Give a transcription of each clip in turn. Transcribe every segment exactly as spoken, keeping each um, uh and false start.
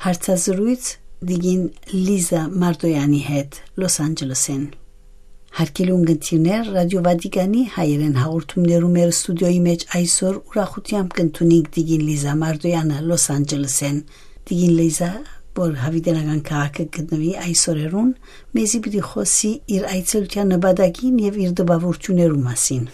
Հարցազրոյց տիկին Լիզա Մարդոյանի հետ Լոս Անջելեսէն։ Հարգելի ունգընտիրներ, Ռադիո Վատիկանի հայերեն հաղորդումներու մեր ստուդիոյի մեջ այսօր ուրախութեամբ կ'ընդունինք տիկին Լիզա Մարդոյանը Լոս Անջելեսէն։ Տիկին Լիզա, որ Հավիտենական քաղաքը գտնուի այսօրերուն, մեզի պիտի խօսի իր այցելութեան նպատակին եւ իր տպաւորութիւններու մասին։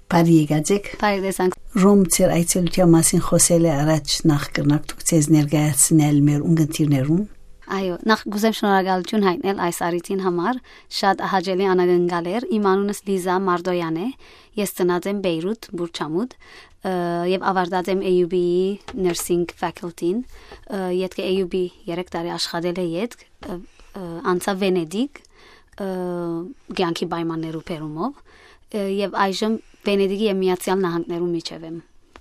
Բարի եկած եք։ Բարի տեսանք։ Ռոմ ձեր այցելութեան մասին խօսելէ առաջ, նախ կրնաք դուք ձեզ ներկայացնել մեր ունգընտիրներուն։ Այո, նախ կ'ուզեմ շնորհակալութիւն յայտնել այս առիթին համար։ Շատ հաճելի անակնկալ էր։ Իմ անունս Լիզա Մարդոյան է։ Ես ծնած եմ Բեյրութ, Բուրչամուտ, ը, եւ ավարտած եմ A U B-ի nursing faculty-ն։ Ը, ետքը A U B երեք տարի աշխատելէ ետք, ը, ը, անցայ Վենետիկ, ը, կեանքի պայմաններու բերումով, ը, եւ այժմ Վենետիկի եւ Միացեալ Նահանգներու միջեւ եմ,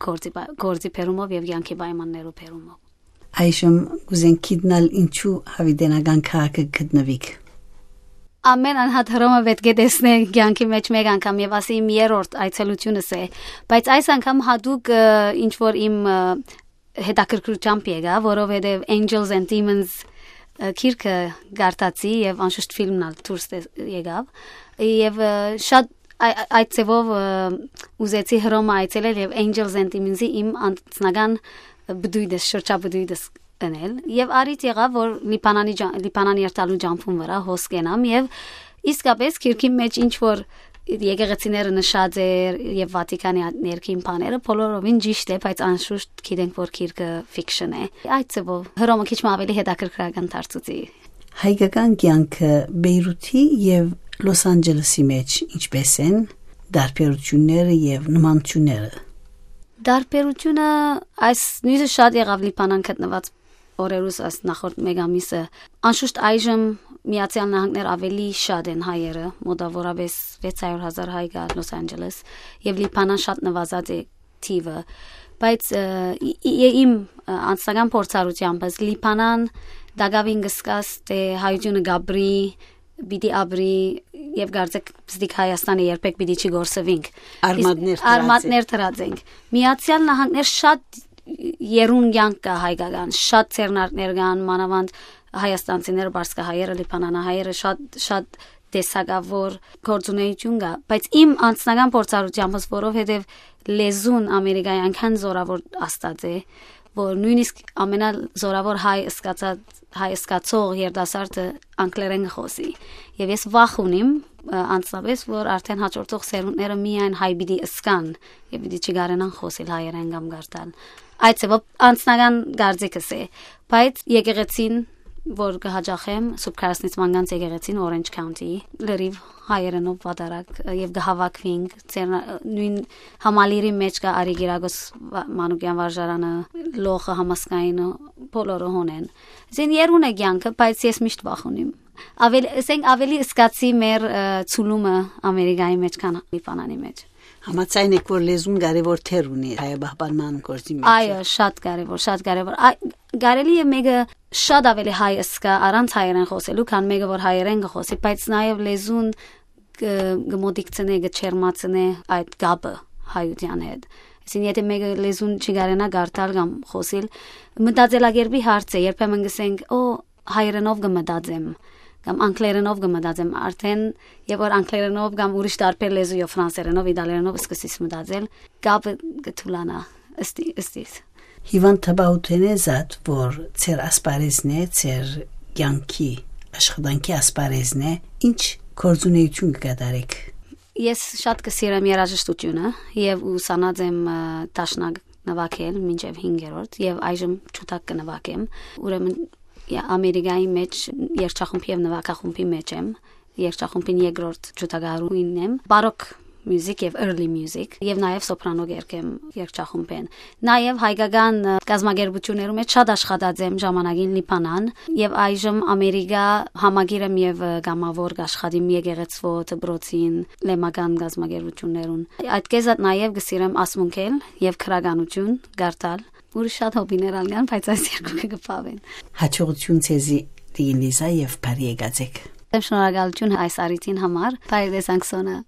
գործի պայ-, գործի բերումով եւ կեանքի պայմաններու բերումով։ Այժմ կ'ուզենք գիտնալ, ինչու Հավիտենական քաղաքը գտնուիք։ Ամեն անհատ Հռոմը պէտք է տեսնէ կեանքի մեջ մէկ անգամ, եւ ասի իմ երրորդ այցելութիւնս է, բայց այս անգամ յատուկ, ը, ինչ որ իմ, ը, հետաքրքրութեամբ եկայ, որովհետեւ Angels and Demons, ը, գիրքը կարդացի եւ անշուշտ ֆիլմն ալ դուրս տես-, եկաւ, եւ, ը, շատ այ-, այ-, այդ ձեւով, ը, ուզեցի Հռոմը այցելել եւ Angels and Demons-ի իմ անձնական բդույթս, շրջաբդույթս ընել։ Եւ առիթ եղաւ, որ Լիբանանի ջա-, Լիբանան երթալու ջամփուն վրայ հոս կենամ, եւ իսկապես գիրքին մեջ ինչ որ եկեղեցիները նշած էր, եւ Վատիկանի ա-, ներքին բաները, բոլորովին ճիշտ է, բայց անշուշտ գիտենք, որ գիրքը fiction է։ Այդ ձեւով Հռոմը քիչ մը ավելի հետաքրքրական դարձուցի։ Հայկական կեանքը Բեյրութի եւ Լոս Անջելեսի մեջ ինչպէս են տարբերութիւնները եւ նմանութիւնները։ Տարբերութիւնը այս նոյնիսկ շատ եղաւ Լիբանան գտնուած օրերուս, այս նախորդ մէկ ամիսը։ Անշուշտ այժմ Միացեալ Նահանգներ ավելի շատ են հայերը, մոտավորապես վեց հարիւր հազար հայ կայ Լոս Անջելես, եւ Լիբանան շատ նվազած է թիվը, բայց, ը, ի-, ի-, իմ, ը, անձնական փորձառութեամբս Լիբանան տակաւին կը զգաս թէ հայութիւնը կ'ապրի, պիտի ապրի, եւ կարծեք պսդիկ Հայաստանը երբեք պիտի չի գործվինք։ Արմատներ Իսկ դրած է։ Արմատներ դրած ենք։ Միացեալ Նահանգներ շատ եռուն կեանք կայ հայկական, շատ ձեռնարկներ կան, մանաւանդ հայաստանցիները, պարսկահայերը, լիբանանահայերը, շատ, շատ տեսակաւոր գործունեութիւն կայ, բայց իմ անձնական փորձառութեամբս, որովհետեւ լեզուն Ամերիկայի այնքան զօրաւոր աստած է, որ նոյնիսկ ամենազօրաւոր հայ ըսկացած, հայ ըսկացող երիտասարդը անգլերէն կը խօսի։ Եւ ես վախ ունիմ, ը, անձնապես, որ արդեն հաջորդող սերունդները միայն հայ պիտի ըսկան եւ պիտի չկարենան խօսիլ հայերէն կամ կարդալ։ Այդ ձեւով անձնական կարծիքս է, բայց եկեղեցին, որ կը հաճախեմ, Սուրբ Քարասնից Մանգանց եկեղեցին Orange County, լրիվ հայերենով վատարակ, ը, եւ կը հավաքվինք, ձեռնա-, նոյն համալիրի մեջ կայ Արի Կիրակոս Վա-, Մանուկեան վարժարանը, լոխը, համասկայինը, բոլորը հոն են։ Զին եռուն է կեանքը, բայց ես միշտ վախ ունիմ։ Ավել-, ասենք, ավելի ըսկացի մեր, ը, ցուլումը Ամերիկայի մեջ, քան Լիբանանի մեջ։ Համաձայն եք, որ լեզուն կարեւոր դեր ունի հայաբահպանման գործի մեջ։ Այո, շատ կարեւոր, շատ կարեւոր։ Այ, կարելի է մեկը շատ ավելի հայ ըսկայ առանց հայերեն խօսելու, քան մեկը, որ հայերեն կը խօսի, բայց նաեւ լեզուն կը, կը մոտիկցնէ, կը չերմացնէ այդ կապը հայութեան հետ։ Այսինքն, եթե մեկը լեզուն չի կարենա կարդալ կամ խօսիլ, մտածելակերպի հարց է, երբեմն կ'ըսենք, «Օ, հայերենով կը մտածեմ», կամ «Անգլերենով կը մտածեմ», արդեն, երբ որ անգլերենով կամ ուրիշ տարբեր լեզուով, ֆրանսերենով, իտալերենով սկսես մտածել, կապը կը թուլանայ, ըստ ի-, ըստ իս։ Հիվանդ, թպաուտենե զատ, որ ձեր ասպարեզն է, ձեր կեանքի, աշխատանքի ասպարեզն է, ինչ գործունեություն կը կատարեք։ Ես շատ կը սիրեմ երաժշտությունը եւ ուսանած եմ, ը, դաշնակ նվագել մինչեւ հինգերորդ, եւ այժմ ջութակ կը նվագեմ։ Ուրեմն, ե-, Ամերիկայի մեջ երգչախումբի եւ նվագախումբի մեջ եմ, երգչախումբին երկրորդ ջութակահարուհին եմ, բարոկ music եւ early music, եւ նաեւ սոպրանո կերգեմ երգչախումբեն։ Նաեւ հայկական, ը, կազմակերպություններու մեջ շատ աշխատած եմ ժամանակին Լիբանան, եւ այժմ Ամերիկա համագիր եմ եւ, ը, կամաւոր կ'աշխատիմ եկեղեցւոյ, դպրոցին, լեմական կազմակերպություններուն։ Այդ կեզատ նաեւ կը սիրեմ ասմունքել եւ գրականություն կարդալ։ Ուրիշ շատ հոբիներ ալ կան, բայց այս երկուքը կը բաւեն։ Հաջողություն ձեզի, տիկին Լիզա, եւ բարի եկած եք։ Շնորհակալություն այս առիթին համար։ Բարի տեսանք, Սոնա։